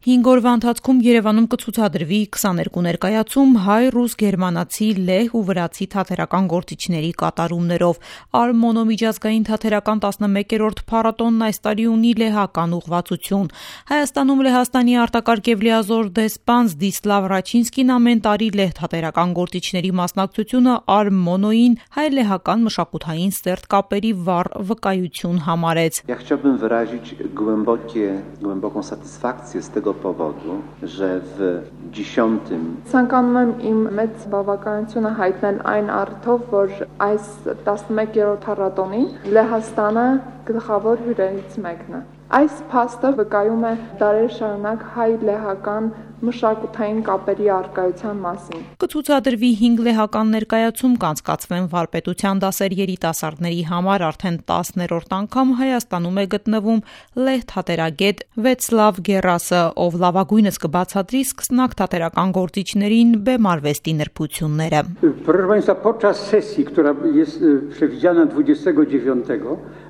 5 օրվա ընթացքում Երևանում կցուցադրվի 22 ներկայացում հայ-ռուս-գերմանացի, լեհ ու վրացի թատերական գործիչների կատարումներով։ Արմոնո-միջազգային թատերական 11-րդ փառատոնն այս տարի ունի լեհական ուղղվածություն։ Հայաստանում Լեհաստանի արտակարգ և լիազոր դեսպան Զդիսլավ Ռաչինսկին ամեն տարի լեհ թատերական գործիչների մասնակցությունը Արմոնոյին հայ-լեհական մշակութային սերտ կապերի վառ վկայություն համարեց։ Chciałbym wyrazić głęboką satysfakcję z tego powodu, że w 10. Ցանկանում եմ իմ մեծ բավականությունը հայտնել այն առիթով, որ այս 11-րդ փառատոնին Լեհաստանը գլխավոր հյուրերից մեկն է։ Այս փաստը վկայում է դարեր շարունակ հայ-լեհական մշակութային կապերի առկայության մասին։ Կցուցադրվի 5 լեհական ներկայացում, կանցկացվեն վարպետության դասեր երիտասարդների համար, արդեն 10-րդ անգամ Հայաստանում է գտնվում լեհ թատերագետ Վեցլավ Գերասը, ով լավագույնս կբացատրի սկսնակ թատերական գործիչներին բեմարվեստի նրբությունները։ Proszę Państwa, podczas sesji, która jest przewidziana 29,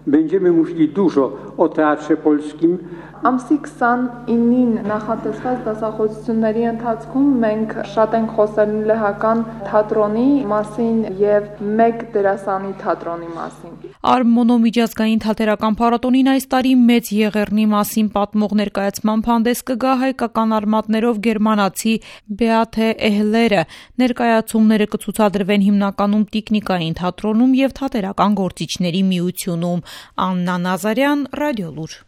będziemy mówili dużo o teatrze polskim. Ամսի 29-ին նախատեսված դասախոսությունների ընթացքում մենք շատ ենք խոսել լեհական թատրոնի մասին եւ մեկ դերասանի թատրոնի մասին։ Արմոնո միջազգային թատերական փառատոնին այս տարի մեծ եղեռնի մասին պատմող ներկայացման հանդես կգա հայկական արմատներով գերմանացի Բեաթե Էհլերը։ Ներկայացումները կցուցադրվեն հիմնականում տիկնիկային թատրոնում եւ թատերական գործիչների միությունում։ Աննա Նազարյան, Ռադիոլուր։